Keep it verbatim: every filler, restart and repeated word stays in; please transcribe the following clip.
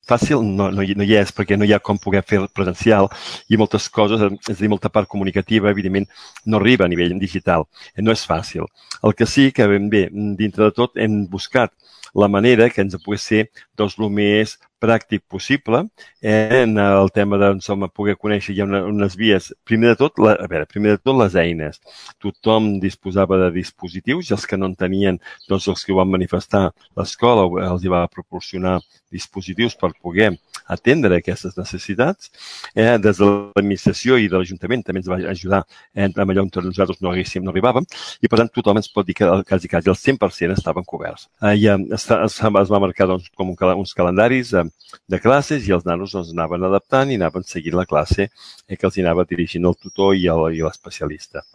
fàcil no, no, hi, no hi és, perquè no hi ha com poder fer presencial i moltes coses, és a dir, molta part comunicativa, evidentment, no arriba a nivell digital. No és fàcil. El que sí que, ben bé, dintre de tot, hem buscat la manera que ens pogués ser doncs, el més pràctic possible eh, en el tema de som, poder conèixer ja una, unes vies. Primer de tot, la, a veure, primer de tot les eines. Tothom disposava de dispositius i els que no en tenien, doncs els que ho van manifestar, l'escola els hi va proporcionar dispositius per poder atendre aquestes necessitats. Eh, des de l'administració i de l'Ajuntament també ens va ajudar eh, amb allò on nosaltres no haguéssim, no arribàvem, i per tant tothom ens pot dir que quasi, quasi el cent per cent estaven coberts. Eh, I eh, es, es, es va marcar doncs, com un, uns calendaris eh, de classes i els nanos doncs, anaven adaptant i anaven seguint la classe eh, que els hi anava dirigint el tutor i l'especialista.